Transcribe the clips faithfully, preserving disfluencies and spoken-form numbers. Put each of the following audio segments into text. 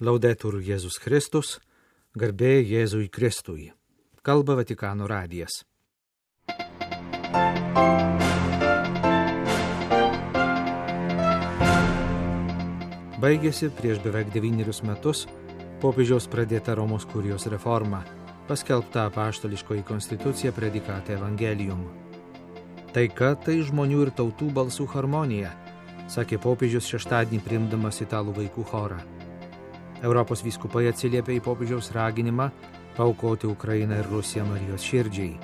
Laudetur Jėzus Kristus, garbė Jėzui Kristui. Kalba Vatikano radijas. Baigėsi prieš beveik devynerius metus popiežiaus pradėta Romos kurijos reforma, paskelbta apaštališkoji konstitucija Praedicate Evangelium. Taika tai žmonių ir tautų balsų harmonija, sakė popiežius šeštadienį priimdamas italų vaikų chorą. Europos vyskupai atsiliepė į popiežiaus raginimą paaukoti Ukrainą ir Rusiją Marijos širdžiai.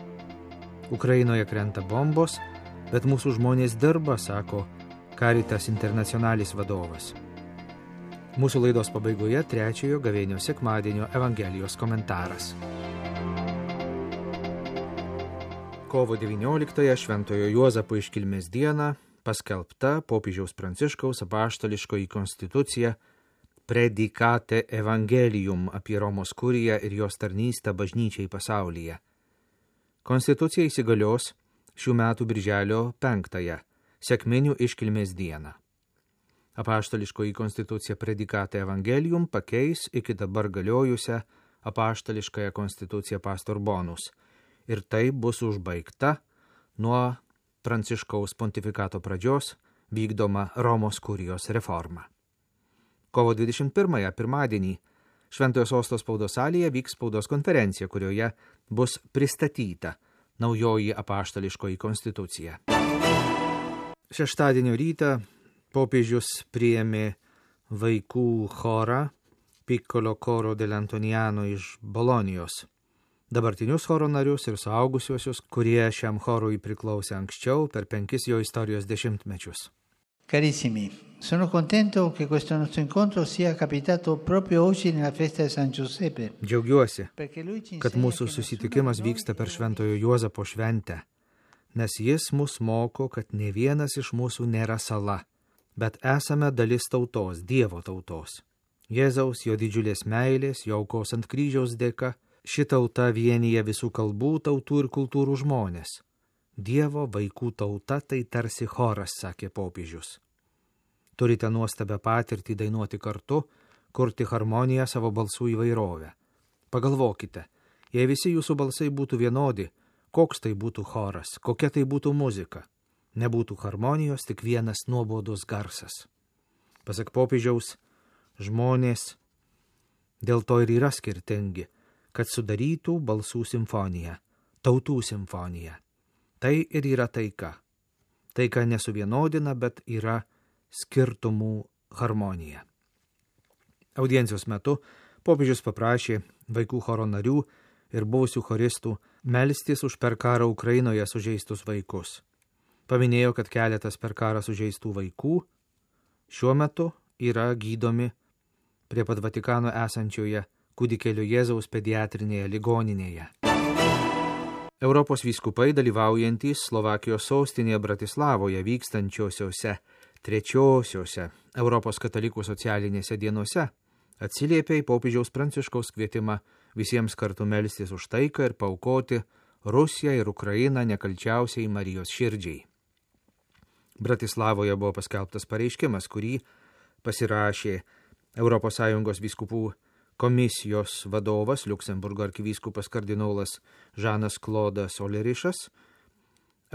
Ukrainoje krenta bombos, bet mūsų žmonės dirba, sako Caritas Internationalis vadovas. Mūsų laidos pabaigoje trečiojo gavėnios sekmadienio Evangelijos komentaras. Kovo devynioliktąją Šventojo Juozapo iškilmės dieną paskelbta popiežiaus Pranciškaus apaštališkoji konstitucija Praedicate Evangelium apie Romos kuriją ir jos tarnystę bažnyčiai pasaulyje. Konstitucija įsigalios šių metų birželio penktąją, sekminių iškilmės dieną. Apaštališkoji konstitucija Praedicate Evangelium pakeis iki dabar galiojusią apaštališkąją konstituciją Pastor Bonus, ir tai bus užbaigta nuo Pranciškaus pontifikato pradžios vykdoma Romos kurijos reforma. Kovo dvidešimt pirmąją pirmadienį Šventojo Sosto spaudos salėje vyks spaudos konferencija, kurioje bus pristatyta naujoji apaštališkoji konstitucija. Šeštadienio rytą popiežius priėmė vaikų chorą Piccolo Coro dell'Antoniano iš Bolonijos, dabartinius choro narius ir suaugusiuosius, kurie šiam chorui priklausė anksčiau per penkis jo istorijos dešimtmečius. Carissimi, sono contento che questo nostro incontro sia capitato proprio oggi nella festa di San Giuseppe. Džiaugiuosi, kad mūsų susitikimas vyksta per Šventojo Juozapo šventę, nes jis mus moko, kad ne vienas iš mūsų nėra sala, bet esame dalis tautos, Dievo tautos. Jėzaus, jo didžiulės meilės, jo aukos ant kryžiaus dėka, ši tauta vienyje visų kalbų, tautų ir kultūrų žmonės. Dievo vaikų tauta tai tarsi choras, sakė popiežius. Turite nuostabią patirtį dainuoti kartu, kurti harmoniją savo balsų įvairovę. Pagalvokite, jei visi jūsų balsai būtų vienodi, koks tai būtų choras, kokia tai būtų muzika. Nebūtų harmonijos, tik vienas nuobodus garsas. Pasak popiežiaus, žmonės dėl to ir yra skirtingi, kad sudarytų balsų simfoniją, tautų simfoniją. Tai ir yra taika. Taika nesuvienodina, bet yra skirtumų harmonija. Audiencijos metu popiežius paprašė vaikų choro narių ir buvusių choristų melstis už per karą Ukrainoje sužeistus vaikus. Paminėjo, kad keletas per karą sužeistų vaikų šiuo metu yra gydomi prie pat Vatikano esančioje Kūdikėlio Jėzaus pediatrinėje ligoninėje. Europos vyskupai dalyvaujantys Slovakijos sostinėje Bratislavoje vykstančiosiose trečiosiose Europos katalikų socialinėse dienose atsiliepė į popiežiaus Pranciškaus kvietimą visiems kartu melstis už taiką ir paaukoti Rusiją ir Ukrainą nekalčiausiai Marijos širdžiai. Bratislavoje buvo paskelbtas pareiškimas, kurį pasirašė Europos Sąjungos vyskupų komisijos vadovas, Liuksemburgo arkivyskupas kardinolas Žanas Klodas Olerišas,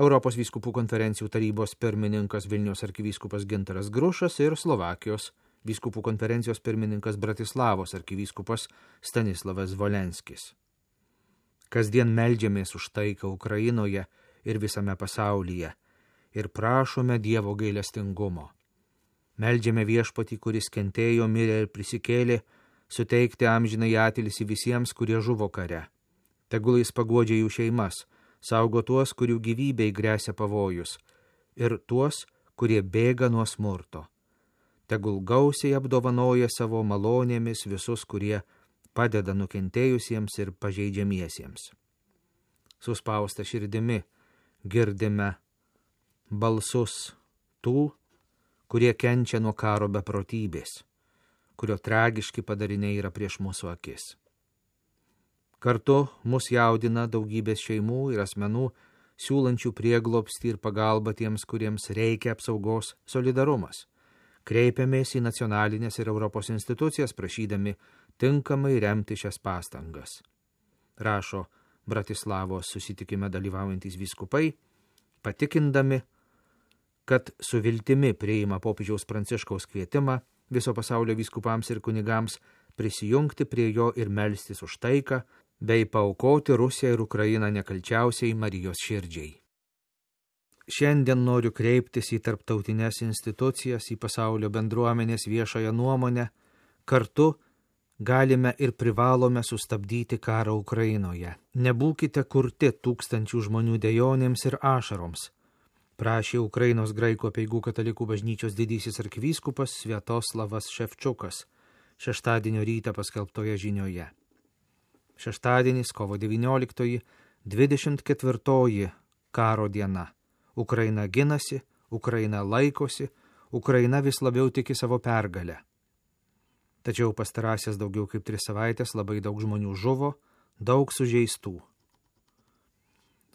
Europos vyskupų konferencijų tarybos pirmininkas Vilniaus arkivyskupas Gintaras Grušas ir Slovakijos vyskupų konferencijos pirmininkas Bratislavos arkivyskupas Stanislavas Volenskis. Kasdien meldžiamės už taiką Ukrainoje ir visame pasaulyje ir prašome Dievo gailestingumo. Meldžiame Viešpatį, kuris kentėjo, mirė ir prisikėlė, suteikti amžinai atilsį visiems, kurie žuvo kare. Tegul jis paguodžia jų šeimas, saugo tuos, kurių gyvybei gresia pavojus, ir tuos, kurie bėga nuo smurto. Tegul gausiai apdovanoja savo malonėmis visus, kurie padeda nukentėjusiems ir pažeidžiamiesiems. Suspausta širdimi girdime balsus tų, kurie kenčia nuo karo beprotybės, kurio tragiški padariniai yra prieš mūsų akis. Kartu mus jaudina daugybės šeimų ir asmenų, siūlančių prieglobstį ir pagalbą tiems, kuriems reikia apsaugos solidarumas. Kreipiamės į nacionalinės ir Europos institucijas, prašydami tinkamai remti šias pastangas. Rašo Bratislavos susitikime dalyvaujantys vyskupai, patikindami, kad su viltimi priima popiežiaus Pranciškaus kvietimą viso pasaulio vyskupams ir kunigams prisijungti prie jo ir melstis už taiką, bei paaukoti Rusiją ir Ukrainą nekalčiausiai Marijos širdžiai. Šiandien noriu kreiptis į tarptautinės institucijas, į pasaulio bendruomenės viešąją nuomonę. Kartu galime ir privalome sustabdyti karą Ukrainoje. Nebūkite kurti tūkstančių žmonių dejonėms ir ašaroms, prašė Ukrainos graikų apeigų katalikų bažnyčios didysis arkivyskupas Sviatoslavas Ševčiukas šeštadienio rytą paskelbtoje žinioje. Šeštadienis, kovo devynioliktoji, dvidešimt ketvirtoji karo diena. Ukraina ginasi, Ukraina laikosi, Ukraina vis labiau tiki savo pergalę. Tačiau pastarąsias daugiau kaip tris savaitės labai daug žmonių žuvo, daug sužeistų.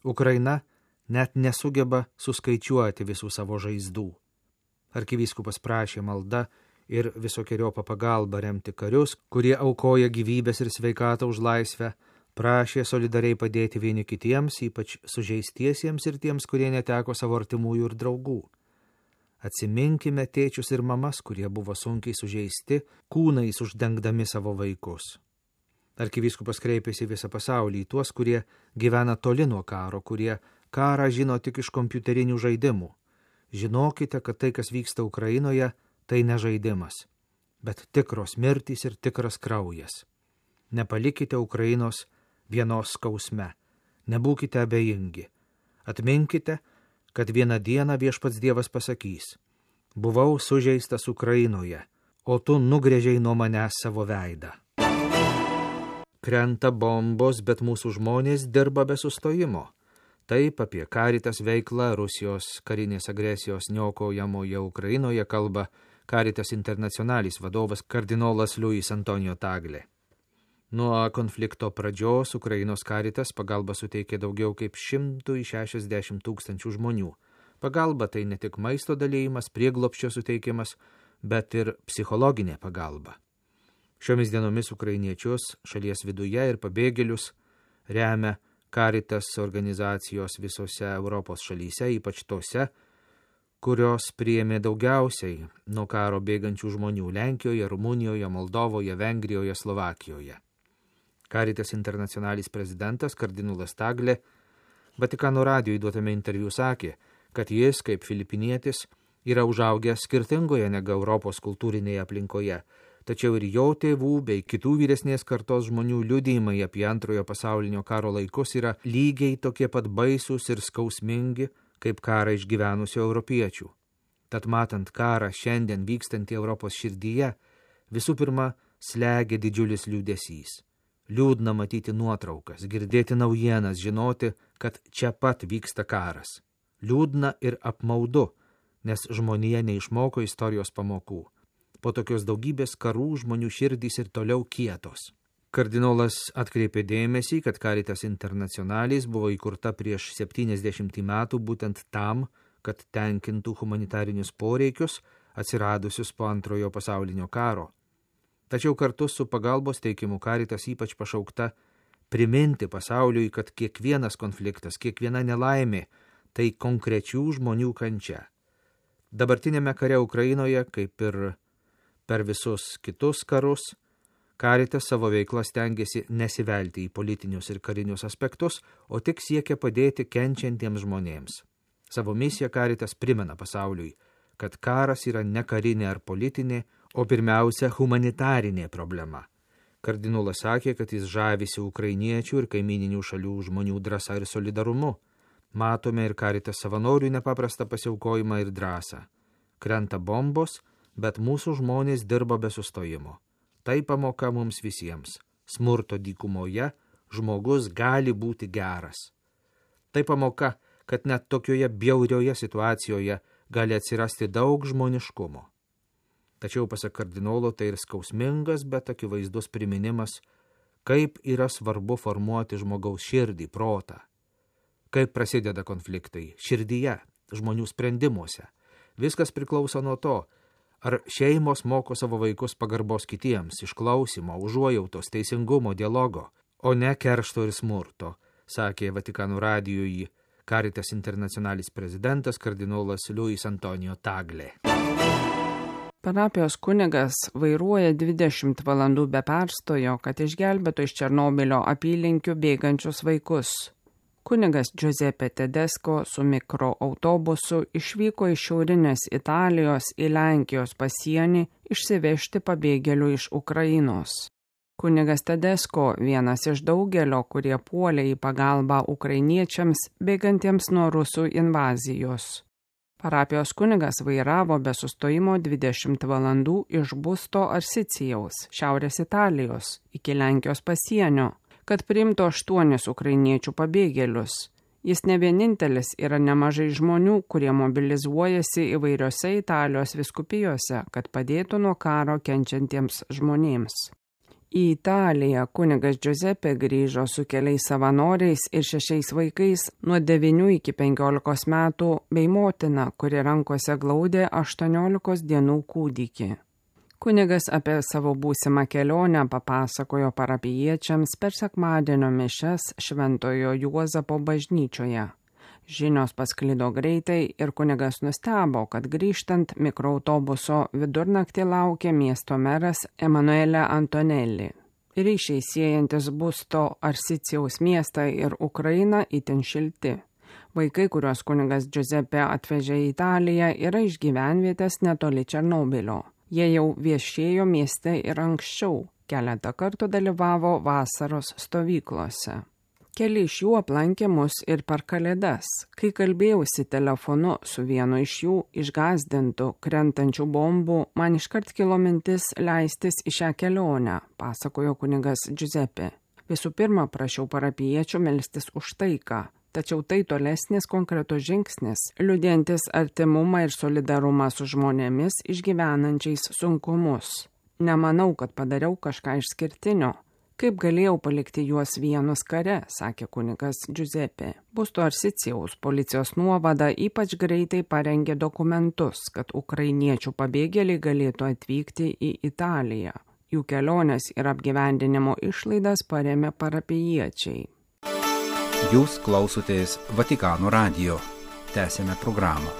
Ukraina net nesugeba suskaičiuoti visų savo žaizdų. Arkivyskupas prašė malda ir visokiojopą pagalbą remti karius, kurie aukoja gyvybės ir sveikatą už laisvę, prašė solidariai padėti vieni kitiems, ypač sužeistiesiems ir tiems, kurie neteko savo artimųjų ir draugų. Atsiminkime tėčius ir mamas, kurie buvo sunkiai sužeisti, kūnais uždengdami savo vaikus. Arkivyskupas kreipėsi visą pasaulį į tuos, kurie gyvena toli nuo karo, kurie karą žino tik iš kompiuterinių žaidimų. Žinokite, kad tai, kas vyksta Ukrainoje, tai ne žaidimas, bet tikros mirtys ir tikras kraujas. Nepalikite Ukrainos vienos skausme, nebūkite abejingi. Atminkite, kad vieną dieną Viešpats Dievas pasakys: buvau sužeistas Ukrainoje, o tu nugrėžiai nuo manęs savo veidą. Krenta bombos, bet mūsų žmonės dirba be sustojimo. Taip apie Caritas veiklą Rusijos karinės agresijos niokojamoje Ukrainoje kalba Caritas Internationalis vadovas kardinolas Luis Antonijo Tagle. Nuo konflikto pradžios Ukrainos Caritas pagalba suteikė daugiau kaip šimtui šešiasdešimt tūkstančių žmonių. Pagalba tai ne tik maisto dalėjimas, prieglobsčio suteikimas, bet ir psichologinė pagalba. Šiomis dienomis ukrainiečius šalies viduje ir pabėgėlius remia Caritas organizacijos visose Europos šalyse, ypač tose, kurios priėmė daugiausiai nuo karo bėgančių žmonių Lenkijoje, Rumunijoje, Moldovoje, Vengrijoje, Slovakijoje. Caritas Internationalis prezidentas kardinolas Tagle Vatikano radijui duotame interviu sakė, kad jis, kaip filipinietis, yra užaugęs skirtingoje negu Europos kultūrinėje aplinkoje, tačiau ir jo tėvų bei kitų vyresnės kartos žmonių liudijimai apie antrojo pasaulinio karo laikus yra lygiai tokie pat baisūs ir skausmingi, kaip karą išgyvenusių europiečių. Tad matant karą šiandien vykstantį Europos širdyje, visų pirma, slegia didžiulis liūdesys. Liūdna matyti nuotraukas, girdėti naujienas, žinoti, kad čia pat vyksta karas. Liūdna ir apmaudu, nes žmonija neišmoko istorijos pamokų. Po tokios daugybės karų žmonių širdys ir toliau kietos. Kardinolas atkreipė dėmesį, kad Caritas Internationalis buvo įkurta prieš septyniasdešimt metų būtent tam, kad tenkintų humanitarinius poreikius atsiradusius po antrojo pasaulinio karo. Tačiau kartu su pagalbos teikimu Caritas ypač pašaukta priminti pasauliui, kad kiekvienas konfliktas, kiekviena nelaimė tai konkrečių žmonių kančia. Dabartinėme kare Ukrainoje, kaip ir per visus kitus karus, Caritas savo veiklą stengiasi nesivelti į politinius ir karinius aspektus, o tik siekia padėti kenčiantiems žmonėms. Savo misiją Caritas primena pasauliui, kad karas yra ne karinė ar politinė, o pirmiausia humanitarinė problema. Kardinolas sakė, kad jis žavisi ukrainiečių ir kaimininių šalių žmonių drąsa ir solidarumu. Matome ir Caritas savanorių nepaprastą pasiaukojimą ir drąsą. Krenta bombos, bet mūsų žmonės dirba be sustojimo. Tai pamoka mums visiems. Smurto dykumoje žmogus gali būti geras. Tai pamoka, kad net tokioje bjaurioje situacijoje gali atsirasti daug žmoniškumo. Tačiau, pasak kardinolo, tai ir skausmingas, bet akivaizdus priminimas, kaip yra svarbu formuoti žmogaus širdį, protą. Kaip prasideda konfliktai širdyje, žmonių sprendimuose. Viskas priklauso nuo to, Ar šeimos moko savo vaikus pagarbos kitiems, išklausimo, užuojautos, teisingumo, dialogo, o ne keršto ir smurto, sakė Vatikano radijui Caritas Internationalis prezidentas kardinolas Luis Antonio Tagle. Parapijos kunigas vairuoja dvidešimt valandų be perstojo, kad išgelbėtų iš Černobylio apylinkių bėgančius vaikus. Kunigas Giuseppe Tedesco su mikroautobusu išvyko iš šiaurinės Italijos į Lenkijos pasienį išsivežti pabėgėlių iš Ukrainos. Kunigas Tedesco vienas iš daugelio, kurie puolė į pagalbą ukrainiečiams bėgantiems nuo rusų invazijos. Parapijos kunigas vairavo be sustojimo dvidešimt valandų iš Busto Arsicijaus, Šiaurės Italijos, iki Lenkijos pasienio, kad priimtų aštuonis ukrainiečių pabėgėlius. Jis ne vienintelis, yra nemažai žmonių, kurie mobilizuojasi įvairiose Italijos vyskupijose, kad padėtų nuo karo kenčiantiems žmonėms. Į Italiją kunigas Giuseppe grįžo su keliais savanoriais ir šešiais vaikais nuo devynių iki penkiolikos metų bei motina, kuri rankose glaudė aštuoniolikos dienų kūdikį. Kunigas apie savo būsimą kelionę papasakojo parapijiečiams per sekmadienio mišias Šventojo Juozapo bažnyčioje. Žinios pasklido greitai ir kunigas nustebo, kad grįžtant mikroautobuso vidurnaktį laukė miesto meras Emanuele Antonelli. Ryšiai siejantis Busto Arsicijaus miestą ir Ukrainą itin šilti. Vaikai, kuriuos kunigas Giuseppe atvežė į Italiją, yra iš gyvenvietės netoli Černobylio. Jie jau viešėjo mieste ir anksčiau, keletą kartų dalyvavo vasaros stovyklose. Keli iš jų aplankė mus ir per Kalėdas. Kai kalbėjausi telefonu su vienu iš jų išgąsdintų krentančių bombų, man iškart kilo mintis leistis į šią kelionę, pasakojo kunigas Giuseppe. Visų pirma, prašiau parapijiečių melstis už taiką, tačiau tai tolesnis konkretus žingsnis, liudijantis artimumą ir solidarumą su žmonėmis išgyvenančiais sunkumus. Nemanau, kad padariau kažką išskirtinio. Kaip galėjau palikti juos vienus kare, sakė kunigas Giuseppe. Busto Arsicijaus policijos nuovada ypač greitai parengė dokumentus, kad ukrainiečių pabėgėliai galėtų atvykti į Italiją. Jų kelionės ir apgyvendinimo išlaidas parėmė parapijiečiai. Jūs klausotės Vatikano radijo. Tęsėme programą.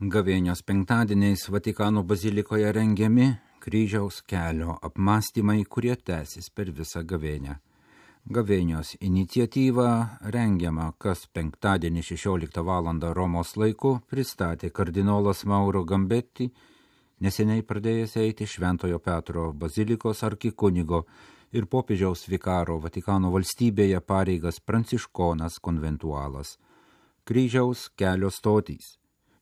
Gavėnios penktadieniais Vatikano bazilikoje rengiami kryžiaus kelio apmąstymai, kurie tęsis per visą gavėnią. Gavėnios iniciatyva rengiama kas penktadienį šešioliktą valandą Romos laiku pristatė kardinolas Mauro Gambetti, neseniai pradėjęs eiti Šventojo Petro bazilikos arkikunigo ir popiežiaus vikaro Vatikano valstybėje pareigas pranciškonas konventualas. Kryžiaus kelio stotys,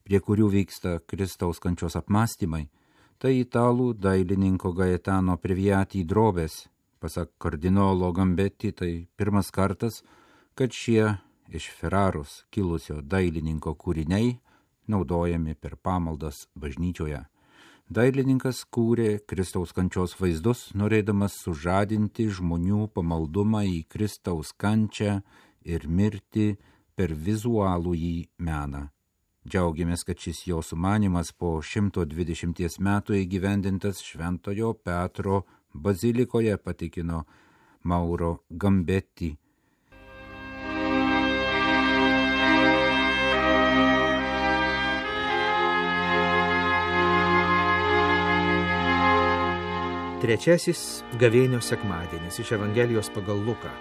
prie kurių vyksta Kristaus kančios apmąstymai, tai italų dailininko Gaetano Previati drobės. Pasak kardinolo Gambetti, tai pirmas kartas, kad šie iš Ferraros kilusio dailininko kūriniai naudojami per pamaldas bažnyčioje. Dailininkas kūrė Kristaus kančios vaizdus, norėdamas sužadinti žmonių pamaldumą į Kristaus kančią ir mirtį per vizualųjį meną. Džiaugiamės, kad šis jo sumanymas po šimto dvidešimties metų įgyvendintas Šventojo Petro bazilikoje, patikino Mauro Gambetti. Trečiasis gavėnios sekmadienis iš Evangelijos pagal Luką.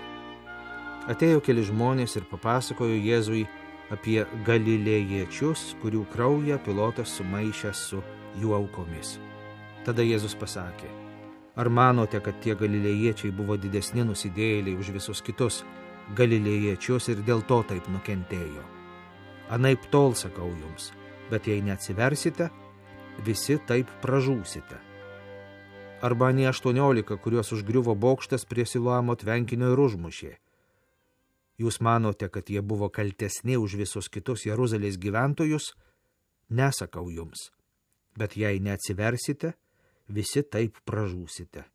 Atėjo keli žmonės ir papasakojo Jėzui apie galilėjiečius, kurių kraują Pilotas sumaišė su jų aukomis. Tada Jėzus pasakė: ar manote, kad tie galilėjiečiai buvo didesni nusidėjėliai už visus kitus galilėjiečius ir dėl to taip nukentėjo? Anaip tol sakau jums, bet jei neatsiversite, visi taip pražūsite. Arba ne aštuoniolika, kuriuos užgriuvo bokštas prie Siloamo tvenkinio ir užmušė. Jūs manote, kad jie buvo kaltesni už visus kitus Jeruzalės gyventojus? Nesakau jums, bet jei neatsiversite, visi taip pražūsite.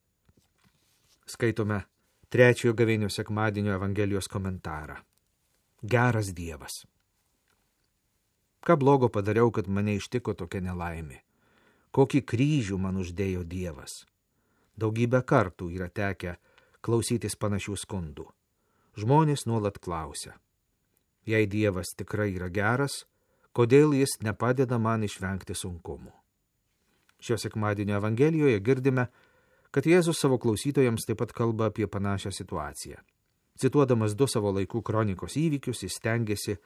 Skaitome trečiojo gavėnios sekmadienio Evangelijos komentarą. Geras Dievas. Ką blogo padariau, kad mane ištiko tokia nelaimė? kokį kryžių man uždėjo Dievas. Daugybę kartų yra tekę klausytis panašių skundų. Žmonės nuolat klausia, jei Dievas tikrai yra geras, kodėl jis nepadeda man išvengti sunkumų. Šio sekmadienio Evangelijoje girdime, kad Jėzus savo klausytojams taip pat kalba apie panašią situaciją. Cituodamas du savo laikų kronikos įvykius, jis stengiasi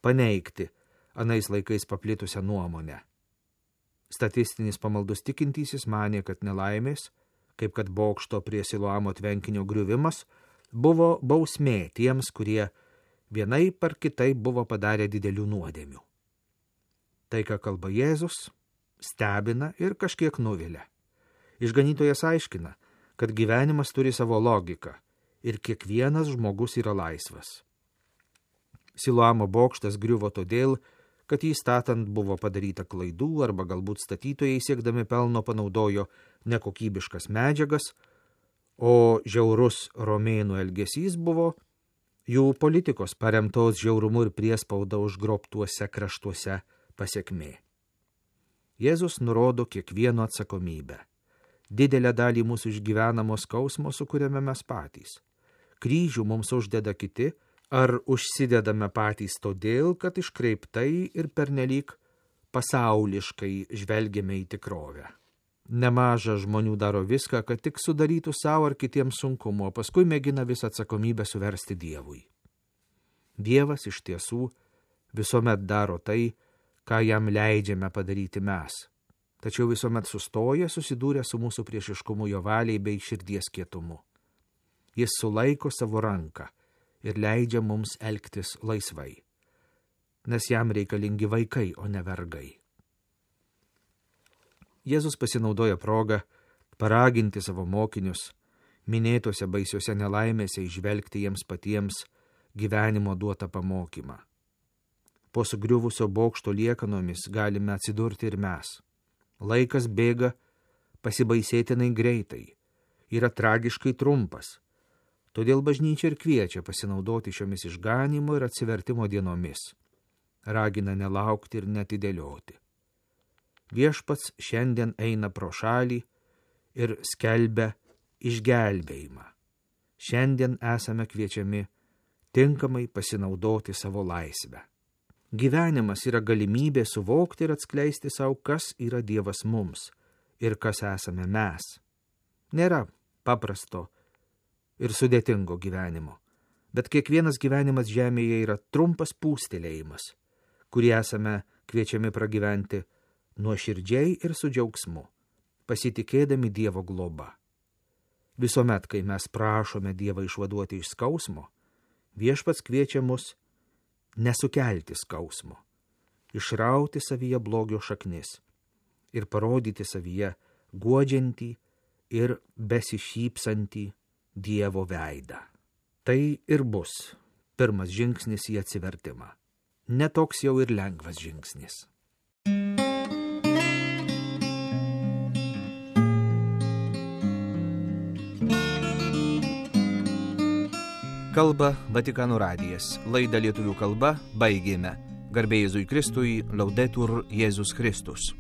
paneigti anais laikais paplitusią nuomonę. Statistinis pamaldus tikintysis manė, kad nelaimės, kaip kad bokšto prie Siloamo tvenkinio griuvimas, buvo bausmė tiems, kurie vienaip ar kitaip buvo padarę didelių nuodėmių. Tai, ką kalba Jėzus, stebina ir kažkiek nuvilia. Išganytojas aiškina, kad gyvenimas turi savo logiką ir kiekvienas žmogus yra laisvas. Siloamo bokštas griuvo todėl, kad jį statant buvo padaryta klaidų arba galbūt statytojai siekdami pelno panaudojo nekokybiškas medžiagas, o žiaurus romėnų elgesys buvo jų politikos paremtos žiaurumu ir priespauda užgrobtuose kraštuose pasekmė. Jėzus nurodo kiekvieno atsakomybę. Didelę dalį mūsų išgyvenamo skausmo sukuriame mes patys. Kryžių mums uždeda kiti, ar užsidedame patys todėl, kad iškreiptai ir pernelyg pasauliškai žvelgiame į tikrovę. Nemaža žmonių daro viską, kad tik sudarytų savo ar kitiems sunkumo, o paskui mėgina visą atsakomybę suversti Dievui. Dievas iš tiesų visuomet daro tai, ką jam leidžiame padaryti mes, tačiau visuomet sustoja susidūrę su mūsų priešiškumu jo valiai bei širdies kietumu. Jis sulaiko savo ranką ir leidžia mums elgtis laisvai, nes jam reikalingi vaikai, o ne vergai. Jėzus pasinaudoja progą paraginti savo mokinius minėtose baisiuose nelaimėse įžvelgti jiems patiems gyvenimo duotą pamokymą. Po sugriuvusio bokšto liekanomis galime atsidurti ir mes. Laikas bėga pasibaisėtinai greitai, yra tragiškai trumpas, todėl bažnyčia ir kviečia pasinaudoti šiomis išganimo ir atsivertimo dienomis. Ragina nelaukti ir netidėlioti. Viešpats šiandien eina pro šalį ir skelbia išgelbėjimą. Šiandien esame kviečiami tinkamai pasinaudoti savo laisvę. Gyvenimas yra galimybė suvokti ir atskleisti savo, kas yra Dievas mums ir kas esame mes. Nėra paprasto ir sudėtingo gyvenimo, bet kiekvienas gyvenimas žemėje yra trumpas pūstelėjimas, kurį esame kviečiami pragyventi nuoširdžiai ir su džiaugsmu, pasitikėdami Dievo globa. Visuomet, kai mes prašome Dievą išvaduoti iš skausmo, Viešpats kviečia mus nesukelti skausmo, išrauti savyje blogio šaknis ir parodyti savyje guodžiantį ir besišypsantį Dievo veidą. Tai ir bus pirmas žingsnis į atsivertimą. Netoks jau ir lengvas žingsnis. Kalba Vatikano radijas. Laidą lietuvių kalba baigėme. Garbė Jėzui Kristui, Laudetur Jėzus Kristus.